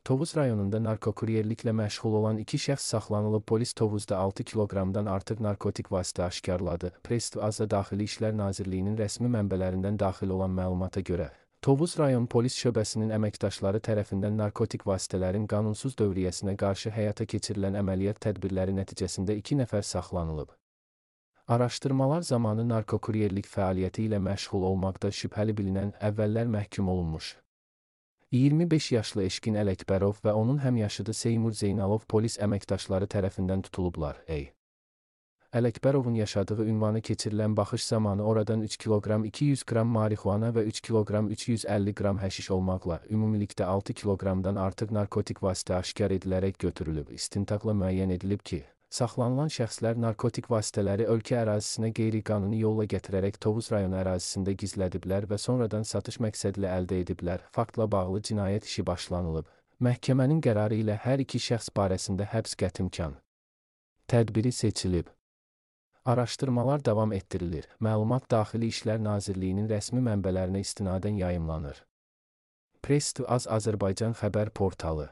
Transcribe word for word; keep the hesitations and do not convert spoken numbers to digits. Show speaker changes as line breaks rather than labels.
Tovuz rayonunda narkokuryerliklə məşğul olan iki şəxs saxlanılıb. Polis Tovuzda altı kiloqramdan artıq narkotik vasitə aşkarladı. Press to Aza Daxili İşlər Nazirliyinin rəsmi mənbələrindən daxil olan məlumata görə, Tovuz rayon polis şöbəsinin əməkdaşları tərəfindən narkotik vasitələrin qanunsuz dövriyyəsinə qarşı həyata keçirilən əməliyyat tədbirləri nəticəsində iki nəfər saxlanılıb. Araşdırmalar zamanı narkokuryerlik fəaliyyəti ilə məşğul olmaqda şübhəli bilinən əvvəllər məhkum olunmuş iyirmi beş yaşlı Eşqin Ələkbərov və onun həmyaşıdı Seymur Zeynalov polis əməkdaşları tərəfindən tutulublar. Ey. Ələkbərovun yaşadığı ünvanı keçirilən baxış zamanı oradan üç kiloqram iki yüz qram marixuana və üç kiloqram üç yüz əlli qram həşiş olmaqla ümumilikdə altı kiloqramdan artıq narkotik vasitə aşkar edilərək götürülüb. İstintaqla müəyyən edilib ki, saxlanılan şəxslər narkotik vasitələri ölkə ərazisinə qeyri-qanuni yolla gətirərək Tovuz rayonu ərazisində gizlədiblər və sonradan satış məqsədilə əldə ediblər. Faktla bağlı cinayət işi başlanılıb. Məhkəmənin qərarı ilə hər iki şəxs barəsində həbs qətimkan tədbiri seçilib. Araşdırmalar davam etdirilir. Məlumat Daxili İşlər Nazirliyinin rəsmi mənbələrinə istinadən yayımlanır. Press to Az Azərbaycan xəbər portalı.